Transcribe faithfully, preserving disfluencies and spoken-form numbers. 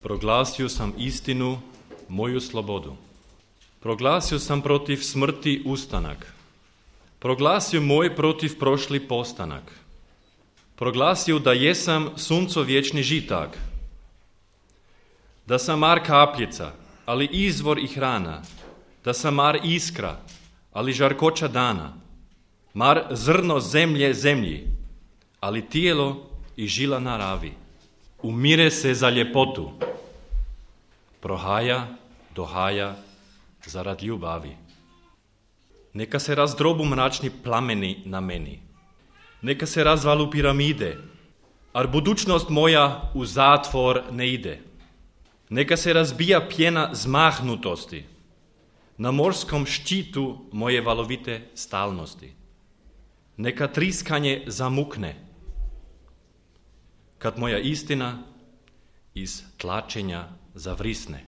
Proglasio sam istinu, moju slobodu. Proglasio sam protiv smrti ustanak. Proglasio moj protiv prošli postanak. Proglasio da jesam sunco vječni žitak. Da sam mar kapljica, ali izvor i hrana. Da sam mar iskra, ali žarkoća dana. Mar zrno zemlje zemlji, ali tijelo i žila naravi. Umire se za ljepotu, prohaja, dohaja, zarad ljubavi. Neka se razdrobu mračni plameni na meni. Neka se razvalu piramide, ar budućnost moja u zatvor ne ide. Neka se razbija pjena zmahnutosti na morskom ščitu moje valovite stalnosti. Neka triskanje zamukne, kad moja istina iz tlačenja zavrisne.